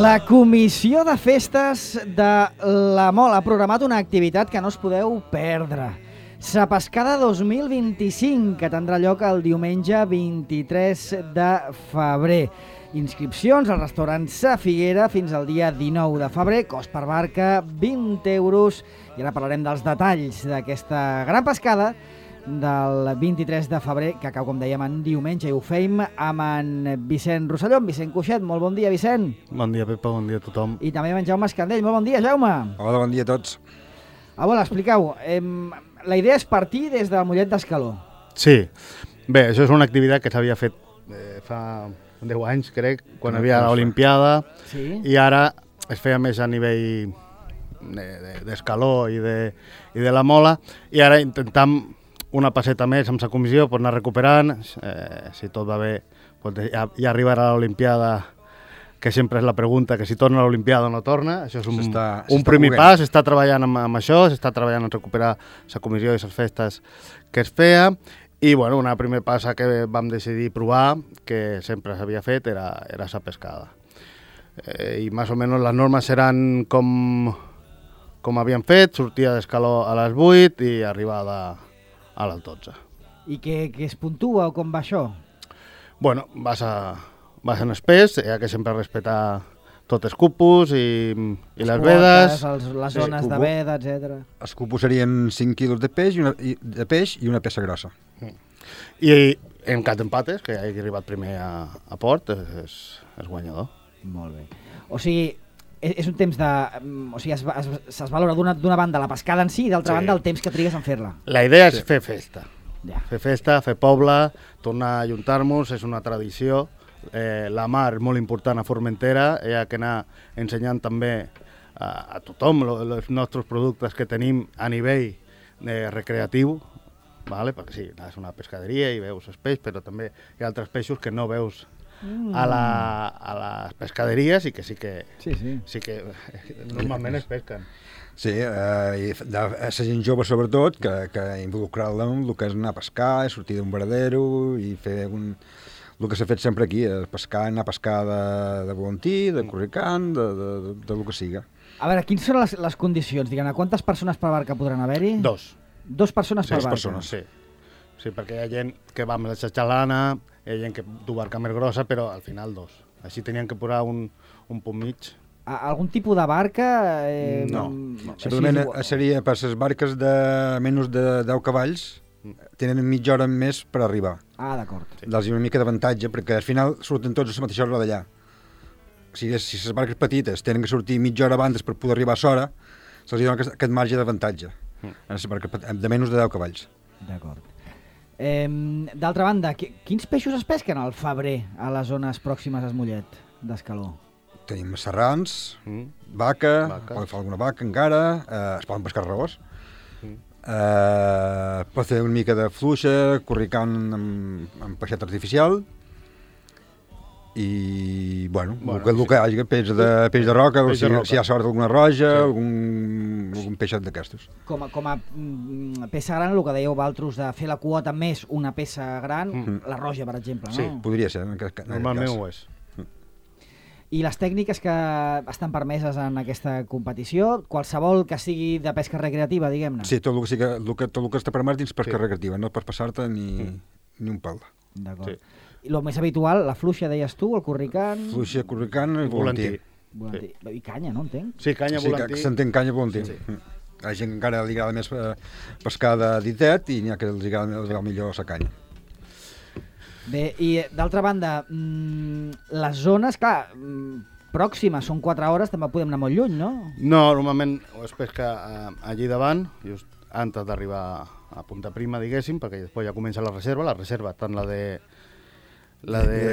La Comissió de Festes de la Mola ha programat una activitat que no us podeu perdre. Sa Pescada 2025, que tindrà lloc el diumenge 23 de febrer. Inscripcions al restaurant Sa Figuera fins al dia 19 de febrer, cost per barca 20 euros. I ara parlarem dels detalls d'aquesta gran pescada del 23 de febrer, que cau, com dèiem, en diumenge, i ho feim amb en Vicent Rosselló, amb Vicent Cuixet. Molt bon dia, Vicent. Bon dia, Pepa, bon dia a tothom. I també amb en Jaume Escandell. Molt bon dia, Jaume. Hola, bon dia a tots. Bueno, expliqueu. La idea és partir des del Mollet d'Escaló. Sí, bé, això és una activitat que s'havia fet fa 10 anys, crec, quan hi havia l'Olimpiada, Sí. i ara es feia més a nivell d'Escaló i de la Mola, i ara intentam una passeta més amb la comissió per anar recuperant. Si tot va bé, ja arribarà a l'Olimpiada, que sempre és la pregunta, que si torna a l'Olimpiada o no torna. Això és un primer pas, s'està treballant amb això, s'està treballant en recuperar la comissió i les festes que es feia, i bueno, una primer passa que vam decidir provar, que sempre s'havia fet, era la pescada. I més o menys les normes seran com havíem fet, sortida d'Escaló a les 8 i arribada a les 12. I què es puntua o com va això? Bueno, vas en espès, hi ha que sempre respectar tots els cupos i les vedes. Les zones de veda, etc. Els cupos serien 5 quilos de peix i una peça grossa. I en cas d'empates, que hagi arribat primer a port, és guanyador. Molt bé. O sigui, és un temps de... O sigui, es valora d'una banda la pescada en si i d'altra banda el temps que trigues en fer-la. La idea és fer festa. Ja. Fer festa, fer poble, tornar a ajuntar-nos, és una tradició. La mar és molt important a Formentera, hi ha que anar ensenyant també a tothom els nostres productes que tenim a nivell recreatiu, vale? Perquè sí, és una pescaderia i veus els peixos, però també hi ha altres peixos que no veus a les pescaderies i que sí que normalment es pesquen. Sí, i a la gent jove sobretot, que involucrar-la en el que és anar a pescar, sortir d'un veradero i fer el que s'ha fet sempre aquí, anar a pescar de volantí, de corricant, de lo que siga. A veure, quines són les condicions? Diguem-ne, quantes persones per barca podran haver-hi? 2. 2 persones per barca? 2 persones, sí. Sí, perquè hi ha gent que va amb la xatxalana, hi ha gent que du barca més grossa, però al final 2. Així tenien que posar un punt mig. Algun tipus de barca? No. Simplement seria per les barques de menys de 10 cavalls, tenen mitja hora més per arribar. Ah, d'acord. Sí. Dels una mica d'avantatge, perquè al final surten tots a la mateixa hora d'allà. Si les barques petites tenen que sortir mitja hora abans per poder arribar a l'hora, se'ls dona aquest marge d'avantatge en les barques de menys de 10 cavalls. D'acord. D'altra banda, quins peixos es pesquen al febrer a les zones pròximes al Mollet d'Escaló? Tenim serrans, vaca, pot fer alguna vaca encara, es poden pescar raós, pot fer una mica de fluixa, corricant amb peixet artificial, i bueno, el que hi hagi, peix de roca, si hi ha sort alguna roja, algun peixet d'aquestos. Com a peça gran, el que dèieu vosaltres de fer la quota més una peça gran, la roja, per exemple, no? Sí, podria ser. Normalment ho és. I les tècniques que estan permeses en aquesta competició, qualsevol que sigui de pesca recreativa, diguem-ne? Sí, tot el que està permès dins pesca recreativa, no pots passar-te ni un pal. D'acord. I el més habitual, la fluixa, deies tu, el corricant... Fluixa, corricant i volantí. I canya, no entenc? Sí, canya, volantí. Sí, s'entén canya, volantí. A la gent encara li agrada més pescar de ditet i n'hi ha que els agrada millor la canya. Bé, i d'altra banda, les zones, clar, pròximes, són 4 hores, també podem anar molt lluny, no? No, normalment es pesca allí davant, just antes d'arribar a Punta Prima, diguéssim, perquè després ja comença la reserva, tant la de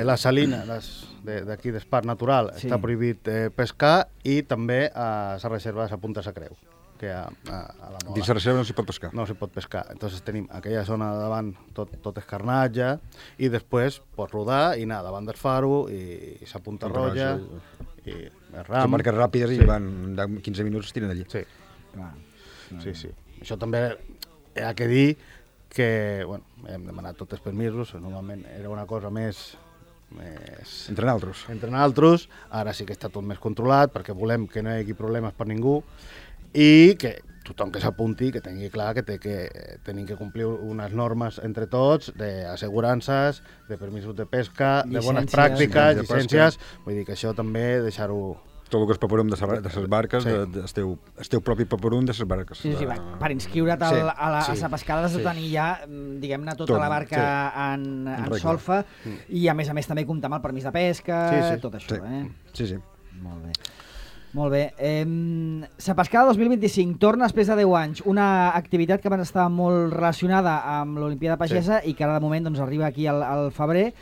la salina d'aquí d'Espart Natural, està prohibit pescar, i també a la reserva de la Punta de la Creu, que a la Mola. Dins la reserva no s'hi pot pescar. No s'hi pot pescar. Entonces tenim aquella zona de davant tot escarnatge, i després pots rodar i anar davant del faro i la Punta Roja i el ram. Són barques ràpides i van 15 minuts es tiren allí. Sí. Sí. Això també hi ha que dir que, bueno, hem demanat tots els permisos, normalment era una cosa més Entre naltros. Entre naltros. Ara sí que està tot més controlat perquè volem que no hi hagi problemes per ningú i que tothom que s'apunti que tingui clar que tenim que complir unes normes entre tots d'assegurances, de permisos de pesca, de bones pràctiques, llicències. Vull dir que això també deixar-ho... Tot el que és paperum de les barques, esteu propi paperum de les barques. Sí, per inscriure't a la pescada has de tenir ja, diguem-ne, tota la barca en solfa i a més també comptar amb el permís de pesca, tot això. Sí. Molt bé. La pescada 2025 torna després de 10 anys, una activitat que abans estava molt relacionada amb l'Olimpiada Pagesa i que ara de moment arriba aquí al febrer.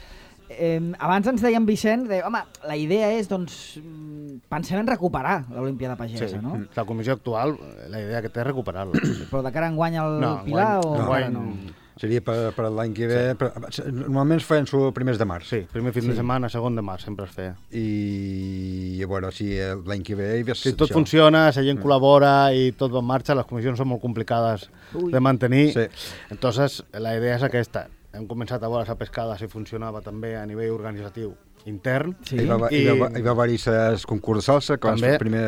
Abans ens deia en Vicent, home, la idea és, pensem en recuperar l'Olimpiada Pagesa, no? La comissió actual, la idea que té és recuperar-la. Però de cara enguany al Pilar o encara no? Seria per l'any que ve. Normalment es feien els primers de març. Sí, primer fin de setmana, segon de març, sempre es feia. I a veure, si l'any que ve... Si tot funciona, la gent col·labora i tot va en marxa, les comissions són molt complicades de mantenir. Entonces, la idea és aquesta. Hem començat a veure la pescada si funcionava també a nivell organitzatiu intern. Hi va haver-hi el concurs de salsa, que el primer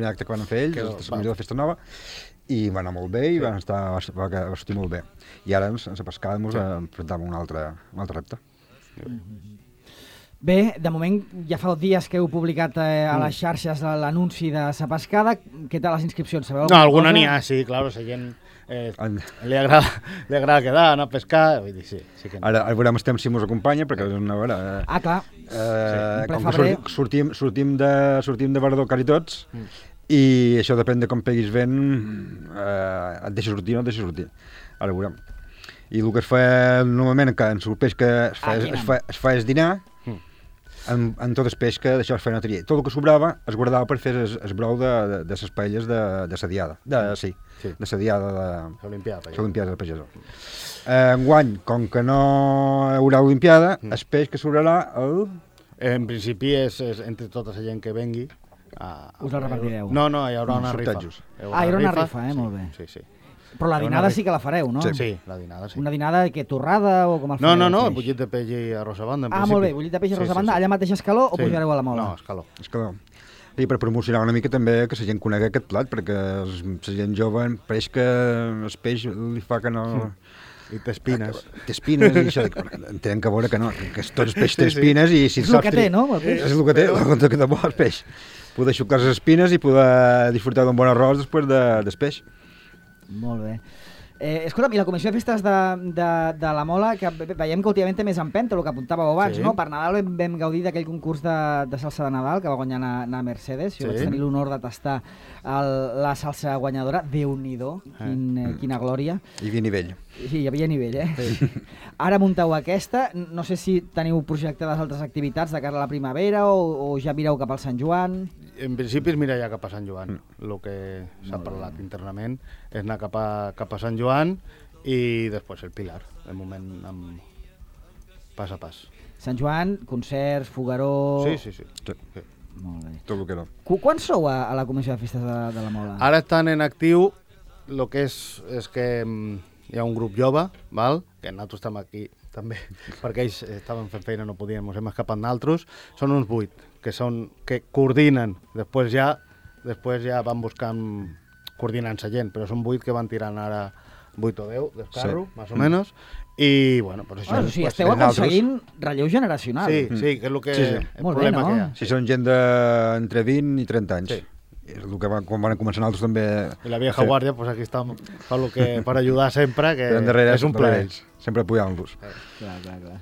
acte que van fer ells, la comissió de Festa Nova, i va anar molt bé i va sortir molt bé. I ara la pescada ens enfrontàvem a un altre repte. Bé, de moment ja fa 2 dies que heu publicat a les xarxes l'anunci de la pescada. Què tal les inscripcions? Sabeu alguna n'hi ha, sí, clar, la gent li agrada quedar, anar a pescar, vull dir, sí que no. Ara veurem el temps si mos acompanya, perquè és una hora... clar, com que sortim de Verdó quasi tots, i això depèn de com peguis vent, et deixa sortir o no et deixa sortir. Ara veurem. I el que es fa normalment, que en el peix que es fa és dinar, en tot el peix que d'això es feia una tria. Tot el que sobrava es guardava per fer el brou de les paelles de sa diada. De sa diada de l'Olimpiada Pagesa. Enguany, com que no hi haurà Olimpiada, el peix que sobrarà En principi és entre tota la gent que vengui. Us la repartireu? No, hi haurà una rifa. Hi haurà una rifa, molt bé. Sí. Però la dinada sí que la fareu, no? Sí, la dinada sí. Una dinada que torrada o com el fareu? No, bullit de peix i arròs a banda, en principi. Molt bé, bullit de peix i arròs a banda, allà mateix Escaló o pujareu a la Mola? No, Escaló. I per promocionar una mica també que la gent conegui aquest plat, perquè la gent jove pareix que el peix li fa que no... I té espines. Té espines i això, entenc que veure que no, que tots els peixos té espines i si és el que té, no? És el que té, el que té bo el peix. Poder xucar les espines i poder disfrutar d'un bon arròs després del peix. Molt bé. Escolta'm, i la Comissió de Festes de la Mola, que veiem que últimament té més empenta, el que apuntàveu abans, no? Per Nadal vam gaudir d'aquell concurs de salsa de Nadal que va guanyar na Mercedes. Jo vaig tenir l'honor de tastar la salsa guanyadora. Déu-n'hi-do, quina glòria. Hi havia nivell. Sí, hi havia nivell, Ara munteu aquesta. No sé si teniu projectades altres activitats de cara a la primavera o ja mireu cap al Sant Joan. En principi es mira ja cap a Sant Joan. El que s'ha parlat internament és anar cap a Sant Joan i després el Pilar, de moment pas a pas. Sant Joan, concerts, fogueró... Sí. Molt bé. Tot el que no. Quan sou a la Comissió de Festes de la Mola? Ara estan en actiu, el que és que hi ha un grup jove, val? Que nosaltres estem aquí també, perquè ells estaven fent feina, no podíem, ens hem escapat d'altres. Són uns 8 que coordinen, després ja van buscant coordinant la gent, però són 8 que van tirant ara 8 o 10 del carro, més o menys, i bueno, pues això... O sigui, esteu aconseguint relleu generacional. Sí, que és el problema que hi ha. Si són gent d'entre 20 i 30 anys. És el que quan van començar nosaltres també... I la vieja guàrdia, pues aquí estem per ajudar sempre, que és un plaer. Sempre apoyant-los. Clar.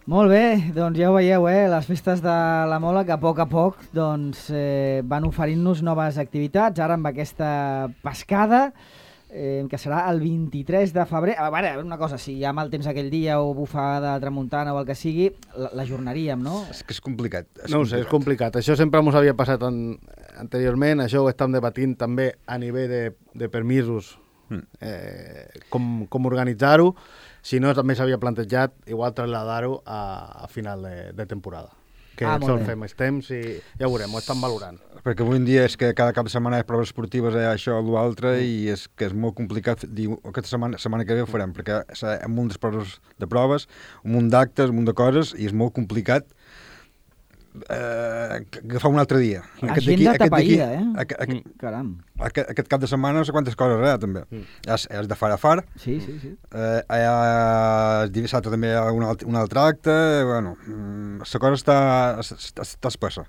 Molt bé, doncs ja ho veieu, les festes de la Mola que a poc doncs, van oferint-nos noves activitats, ara amb aquesta pescada, que serà el 23 de febrer. A veure, una cosa, si hi ha mal temps aquell dia o bufada de tramuntana o el que sigui, l'ajornaríem, no? És que és complicat. No ho sé, és complicat. Això sempre ens havia passat anteriorment, això ho estem debatint també a nivell de permisos, com organitzar-ho. Si no, també s'havia plantejat igual traslladar-ho a final de temporada. que sol fer més temps i ja ho veurem, ho estan valorant. Perquè avui en dia és que cada cap de setmana hi ha proves esportives, això o l'altre, i és que és molt complicat dir aquesta setmana que ve ho farem, perquè hi ha un munt de proves, un munt d'actes, un munt de coses, i és molt complicat agafar un altre dia. Agenda tapaïda, Caram. Aquest cap de setmana no sé quantes coses, també. És de far a far. Sí. Dissabte també hi ha un altre acte. Bueno, la cosa està espessa.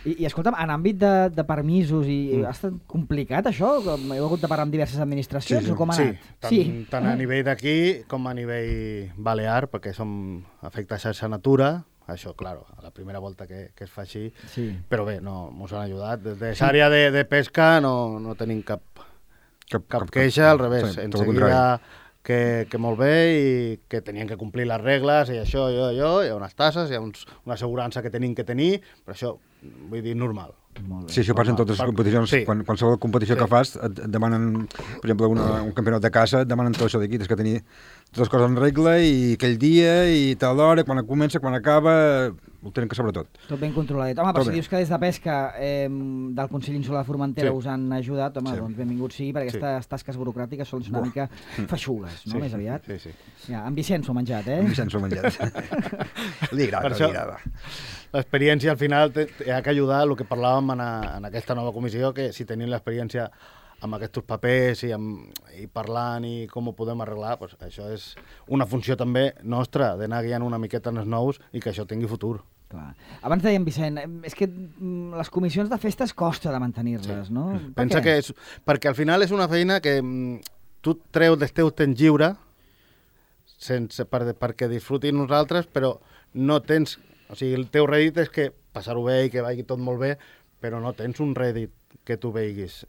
I escolta'm, en àmbit de permisos, ha estat complicat això? Heu hagut de parlar amb diverses administracions o com ha anat? Tant a nivell d'aquí com a nivell balear, perquè som afecta a xarxa Natura. Això, claro, a la primera volta que es fa així, però bé, mos han ajudat. Des d'àrea de pesca no tenim cap queixa, al revés, en seguida que molt bé i que tenien que complir les regles i això, hi ha unes tasses, hi ha una assegurança que tenim que tenir, però això, vull dir, normal. Sí, això passa en totes les competicions. Qualsevol competició que fas et demanen, per exemple, un campionat de caça, et demanen tot això d'aquí, tens que tenir totes les coses en regla i aquell dia i tal hora, quan comença, quan acaba, ho tenen que saber tot. Tot ben controladet. Home, però si dius que des de pesca del Consell Insular de Formentera us han ajudat, home, doncs benvingut sigui, perquè aquestes tasques burocràtiques són una mica feixugues, no? Més aviat. Sí. Ja, en Vicenç ho ha menjat, En Vicenç ho ha menjat. Li agrada. L'experiència al final ha que ajudar el que parlàvem en aquesta nova comissió, que si tenim l'experiència amb aquests papers i parlant i com ho podem arreglar, doncs això és una funció també nostra, d'anar guiant una miqueta en els nous i que això tingui futur. Clar. Abans dèiem, Vicent, és que les comissions de festes costa de mantenir-les, no? Pensa que perquè al final és una feina que tu treus del teu temps lliure perquè disfrutin nosaltres, però no tens... O sigui, el teu rèdit és que passar-ho bé i que vagi tot molt bé, però no tens un rèdit que tu veiguis.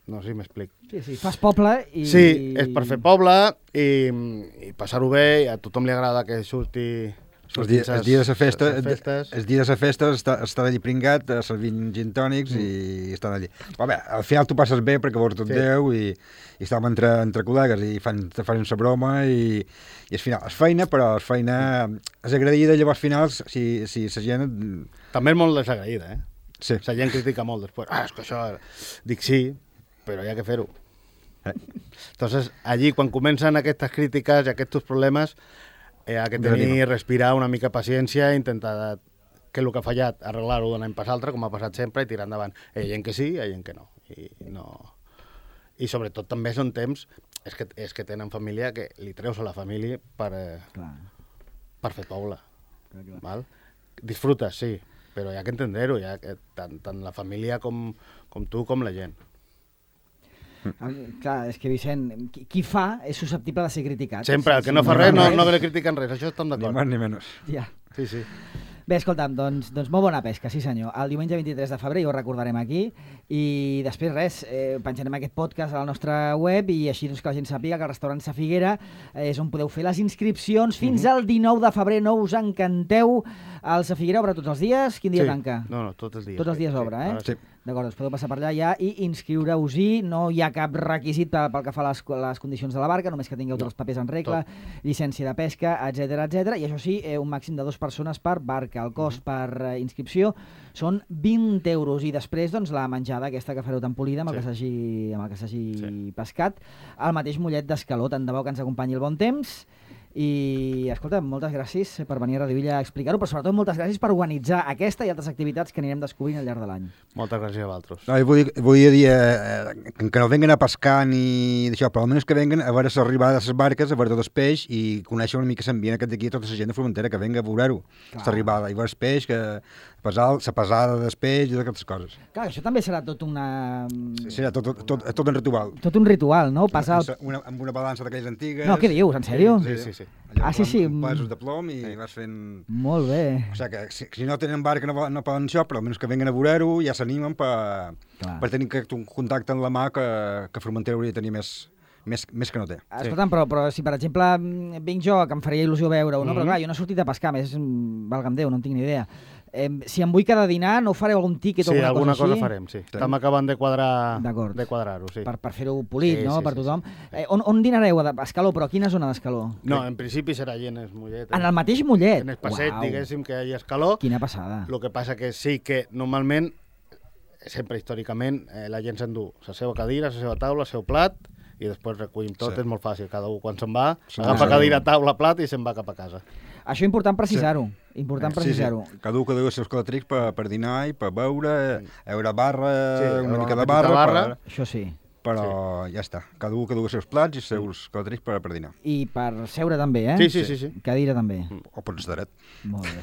No sé si m'explic. Sí, fas poble i... Sí, és per fer poble i passar-ho bé, i a tothom li agrada que surti... Els dies de la festa estan allí pringat, servint gin tònics i estan allí. Però bé, al final tu passes bé perquè veus tot Déu i estàvem entre col·legues i fan la broma i al final és feina, però és feina és agraïda, llavors al final si la gent... També és molt desagraïda, Sí. La gent critica molt després. És que això... Dic sí, però hi ha que fer-ho. Entonces, allí, quan comencen aquestes crítiques i aquests problemes, hi ha que tenir, respirar una mica paciència i intentar que el que ha fallat arreglar-ho d'un any pas altre, com ha passat sempre, i tirar endavant. Hi ha gent que sí, hi ha gent que no. I sobretot també són temps, és que tenen família, que li treus a la família per fer poble. Val? Disfrutes, sí, però hi ha que entendre-ho, tant la família com tu, com la gent. Clar, és que Vicent, qui fa és susceptible de ser criticat. Sempre, el que no fa res no li critiquen res, això estem d'acord. Ni més ni menys. Ja. Sí. Bé, escolta'm, doncs molt bona pesca, sí senyor. El diumenge 23 de febrer ja ho recordarem aquí i després res, penjarem aquest podcast a la nostra web i així doncs, que la gent sàpiga que el restaurant Sa Figuera és on podeu fer les inscripcions fins al 19 de febrer, no us encanteu. El Sa Figuera obre tots els dies? Quin dia tanca? No, tots els dies. Tots els dies obre, Sí. D'acord, doncs podeu passar per allà ja i inscriure-us-hi. No hi ha cap requisit pel que fa a les condicions de la barca, només que tingueu tots els papers en regla, llicència de pesca, etc. I això sí, un màxim de 2 persones per barca. El cost per inscripció són 20 euros i després doncs, la menjada aquesta que fareu tan polida amb el que s'hagi pescat. El mateix mullet d'escaló, tant de bo que ens acompanyi el bon temps. I, escolta, moltes gràcies per venir a Radio Illa a explicar-ho, però sobretot moltes gràcies per organitzar aquesta i altres activitats que anirem descobrint al llarg de l'any. Moltes gràcies a vosaltres. No, vull dir que no venguen a pescar ni d'això, però almenys que venguen a veure l'arribada de les barques, a veure tot el peix i conèixer una mica l'ambient aquest d'aquí, tota la gent de Formentera, que venga a veure-ho, l'arribada, i veure el peix, la pesada del peix i aquestes coses. Clar, això també serà tot una... Serà tot un ritual. Tot un ritual, no? Amb una balança d'aquelles antigues... No, què dius, en sèrio? Sí. Sí. Amb pesos de plom i vas fent... Molt bé. O sigui que si no tenen barca no poden això, però almenys que venguen a veure-ho ja s'animen per tenir un contacte amb la mà que Formentera hauria de tenir més més que no té. Escolta'm, però si per exemple vinc jo, que em faria il·lusió veure-ho, no? Però clar, jo no he sortit a pescar, més valga'm Déu, no en tinc ni idea. Si em vull quedar a dinar, no fareu algun tíquet o alguna cosa així? Sí, alguna cosa farem, sí. Estem acabant de quadrar-ho, sí. Per fer-ho polit, sí, no?, sí, per tothom. On dinareu? A Escaló, però a quina zona d'Escaló? No, en principi serà allí en el Mollet. En el mateix Mollet? En el passeig, diguéssim, que hi ha Escaló. Quina passada. El que passa que sí que normalment, sempre històricament, la gent s'endú la seva cadira, la seva taula, el seu plat, i després recollim tot, és molt fàcil. Cada un, quan se'n va, agafa cadira, taula, plat i se'n va cap a casa. Això important precisar-ho. Important precisar-ho. Cada un que deu els seus calatrics per dinar i per beure, una barra, una mica de barra. Això sí. Però ja està. Cada un que deu els seus plats i els seus calatrics per dinar. I per seure també, eh? Sí. Cadira també. O pots dret. Molt bé.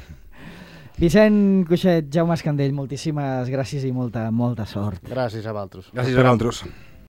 Vicent Cuixet, Jaume Escandell, moltíssimes gràcies i molta sort. Gràcies a vosaltres. Gràcies a vosaltres.